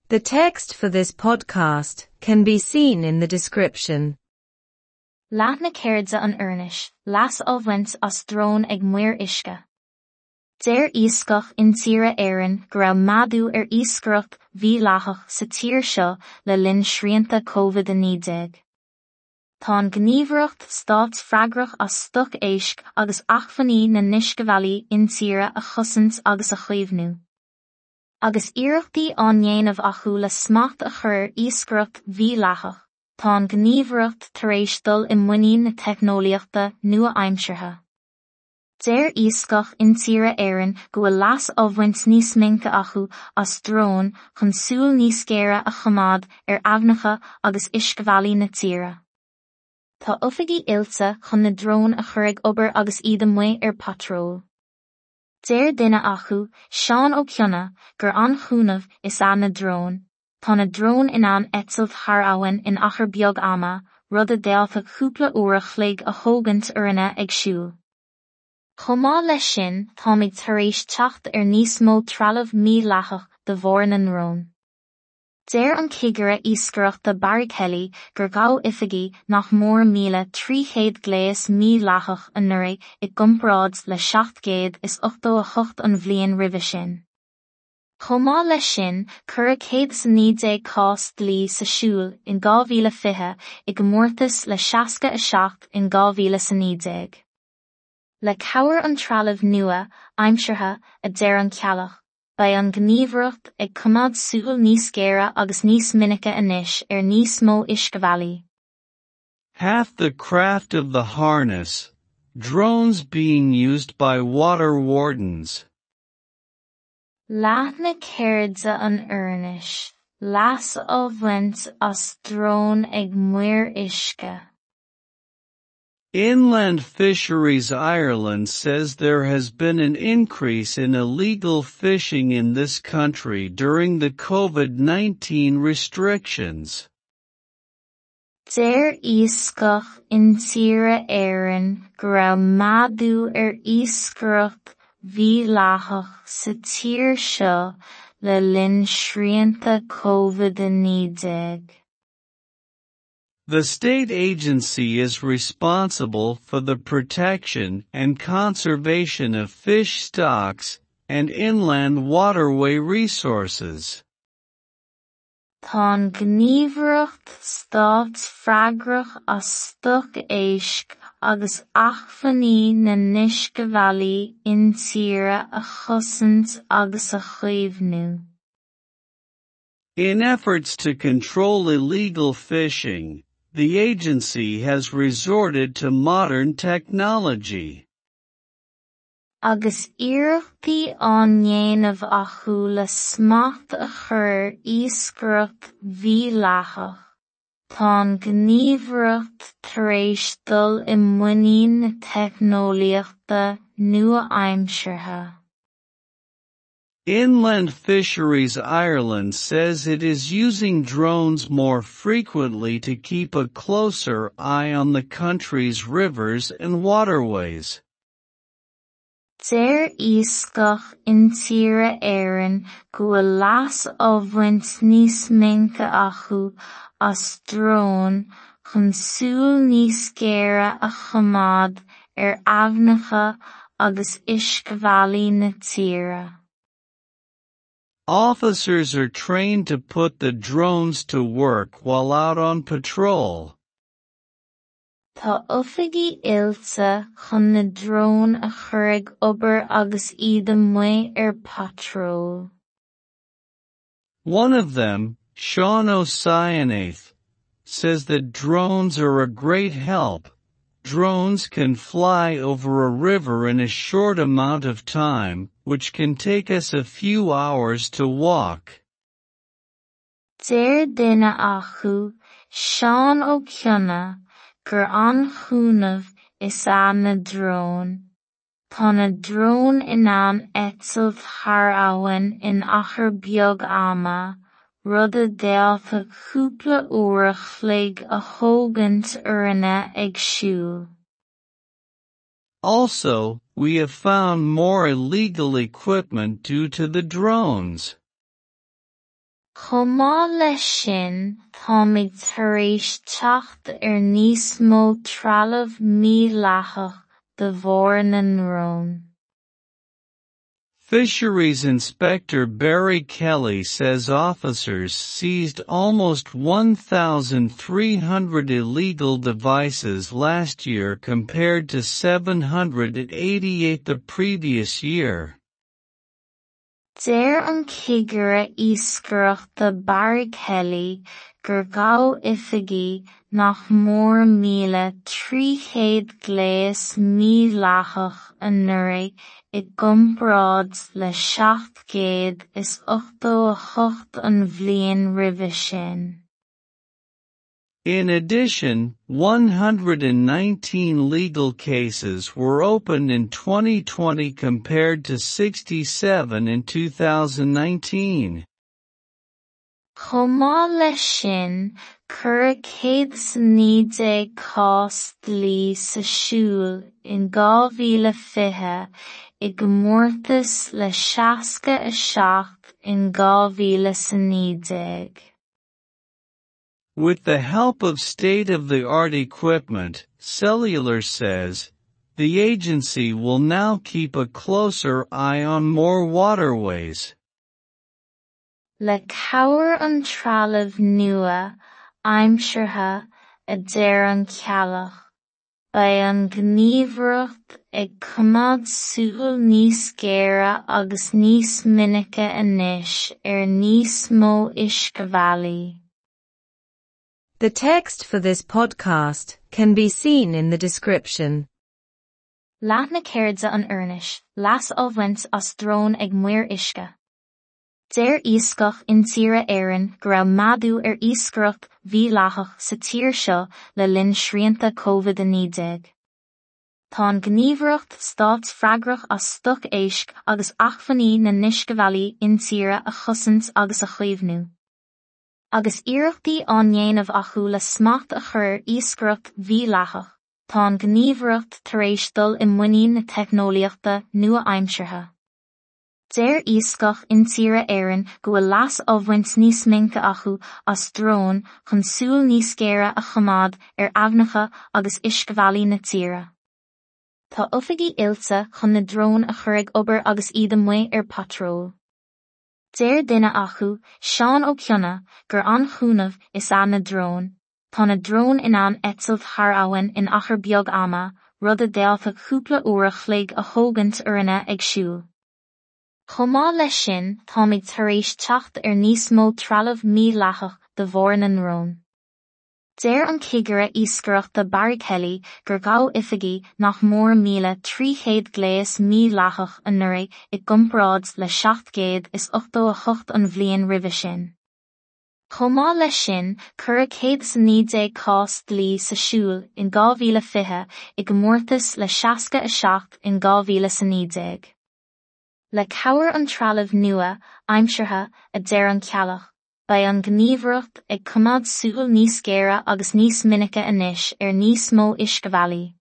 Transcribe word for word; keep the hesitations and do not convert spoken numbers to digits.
The text for this podcast can be seen in the description. Leath na ceirde an oirnis, leas á bhaint as dróin ag maoir uisce. Deir Iascach Intíre Éireann go raibh méadú ar iascaireacht mhídhleathach sa tír seo le linn srianta Covid a naoi déag. Tá an Ghníomhaireacht Stáit freagrach as stoc éisc agus acmhainní na n-uiscebhealaí intíre a chosaint agus a chaomhnú. Agus iarrachtaí á ndéanamh acu le smacht a chur ar iascaireacht mhídhleathach, tá an Ghníomhaireacht tar éis dul i muinín na teicneolaíochta nua-aimseartha. Deir Iascach Intíre Éireann go bhfuil leas á bhaint níos minice acu as dróin chun súil níos géire a choimeád ar aibhneacha agus uiscebhealaí na tíre. Tá oifigigh oilte chun na dróin a chur ag obair agus iad amuigh ar patról. Deir duine acu, Seán Ó Cionnaith, gur an-chúnamh is ea na dróin. Tá na dróin in ann eitilt thar abhainn in achar beag ama, rud a d'fhéadfadh cúpla uair a chloig a thógaint orainne ag siúl. Chomh maith leis sin, táimid tar éis teacht ar níos mó trealamh mídhleathach de bharr na ndrón. Deir an cigire iascaireachta Barry Kelly gur ghabh oifigigh nach mór míle trí chéad gléas mídhleathach anuraidh i gcomparáid le seacht gcéad is ochtó a hocht an bhliain roimhe sin. Chomh maith leis sin, cuireadh céad is a naoi déag cás dlí sa siúl in dhá mhíle fiche i gcomórtas le seasca a seacht in dhá mhíle a naoi déag. Le cabhair an trealamh nua, aimseartha, a deir an Ceallach, beidh an Ghníomhaireacht ag coimeád súil níos géire agus níos minice anois ar níos mó uiscebhealaí. Half the craft of the harness, drones being used by water wardens. Leath na ceirde an oirnis, leas á bhaint as dróin ag maoir uisce. Inland Fisheries Ireland says there has been an increase in illegal fishing in this country during the COVID nineteen restrictions. Deir Iascach Intíre Éireann go raibh méadú ar iascaireacht mhídhleathach sa tír seo le linn srianta Covid a naoi déag. The state agency is responsible for the protection and conservation of fish stocks and inland waterway resources. Tá an Ghníomhaireacht Stáit freagrach as stoc éisc agus acmhainní na n-uiscebhealaí intíre a chosaint agus a chaomhnú. In efforts to control illegal fishing, the agency has resorted to modern technology. Agus iarrachtaí á ndéanamh acu le smacht a chur ar iascaireacht mhídhleathach, tá an Ghníomhaireacht tar éis dul i muinín na teicneolaíochta nua-aimseartha. Inland Fisheries Ireland says it is using drones more frequently to keep a closer eye on the country's rivers and waterways. Deir Iascach Intíre Éireann go bhfuil leas á bhaint níos minice acu as dróin chun súil níos géire a choimeád ar aibhneacha agus uiscebhealaí na tíre. Officers are trained to put the drones to work while out on patrol. Tá oifigigh oilte chun na dróin a chur ag obair agus iad amuigh ar patról. One of them, Seán Ó Cionnaith, says that drones are a great help. Drones can fly over a river in a short amount of time, which can take us a few hours to walk. Deir duine acu, Seán Ó Cionnaith, gur an-chúnamh is ea na dróin. Tá na dróin in ann eitilt thar abhainn in achar beag ama, rud a d'fhéadfadh cúpla uair a chloig a thógaint orainne ag siúl. Also, we have found more illegal equipment due to the drones. Chomh maith leis sin, táimid tar éis teacht ar níos mó trealamh mídhleathach de bharr na ndrón. Fisheries Inspector Barry Kelly says officers seized almost one thousand three hundred illegal devices last year compared to seven hundred eighty-eight the previous year. Deir an cigire iascaireachta Barry Kelly gur ghabh oifigigh nach mór míle trí chéad gléas mídhleathach anuraidh i gcomparáid le seacht gcéad is ochtó a hocht an bhliain roimhe sin. In addition, one hundred nineteen legal cases were opened in twenty twenty compared to sixty-seven in two thousand nineteen. Chomh maith leis sin, cuireadh céad is a naoi déag cás dlí sa siúl in dhá mhíle fiche i gcomórtas le seasca a seacht in dhá mhíle a naoi déag. With the help of state-of-the-art equipment, Cellular says, the agency will now keep a closer eye on more waterways. Le cabhair an trealamh nua, aimseartha, a deir an Ceallach, beidh an ghníomhaireacht ag coimeád súil níos géire agus níos minice anois ar níos mó uiscebhealaí. The text for this podcast can be seen in the description. Leath na ceirde an Fhoirnis, leas á bhaint as drón ag Maoir Uisce. Deir iascach intíre Éireann go raibh méadú ar iascaireacht mhídhleathach sa tír seo le linn srianta COVID a naoi déag. Tá an ghníomhaireacht stáit freagrach as stoc éisc agus acmhainní na n-uiscebhealaí intíre a chosaint agus a chaomhnú. Agus iarrachtaí á ndéanamh acu le smacht a chur ar iascaireacht mhídhleathach, tá an ghníomhaireacht tar éis dul i muinín na teicneolaíochta nua-aimseartha. Deir iascach intíre Éireann go bhfuil leas á bhaint níos minice acu as drón chun súil níos géire a choimeád ar aibhneacha agus uiscebhealaí na tíre. Tá oifigigh oilte chun na dróin a chur ag obair agus iad amuigh ar patról. Deir duine acu, Seán Ó Cionnaith, gur an-chúnamh is ea na dróin. Tá na dróin in ann eitilt thar abhainn in achar beag ama, rud a d'fhéadfadh cúpla uair a chloig a thógaint orainne ag siúl. Chomh maith leis sin, táimid tar éis teacht ar níos mó trealamh mídhleathach de bharr na ndrón. Deir an cigire iascaireachta Barry Kelly gur ghabh oifigigh nach mór míle trí chéad gléas mídhleathach anuraidh i gcomparáid le seacht gcéad is ochtó a hocht an bhliain roimhe sin. Chomh maith leis sin, cuireadh céad is a naoi déag cás dlí sa siúl in dhá mhíle fiche i gcomórtas le seasca a seacht in dhá mhíle a naoi déag. Le cabhair an trealamh nua, aimseartha, a deir an Ceallach, beidh an ghníomhaireacht ag coimeád súil níos géire agus níos minice anois ar níos mó uiscebhealaí.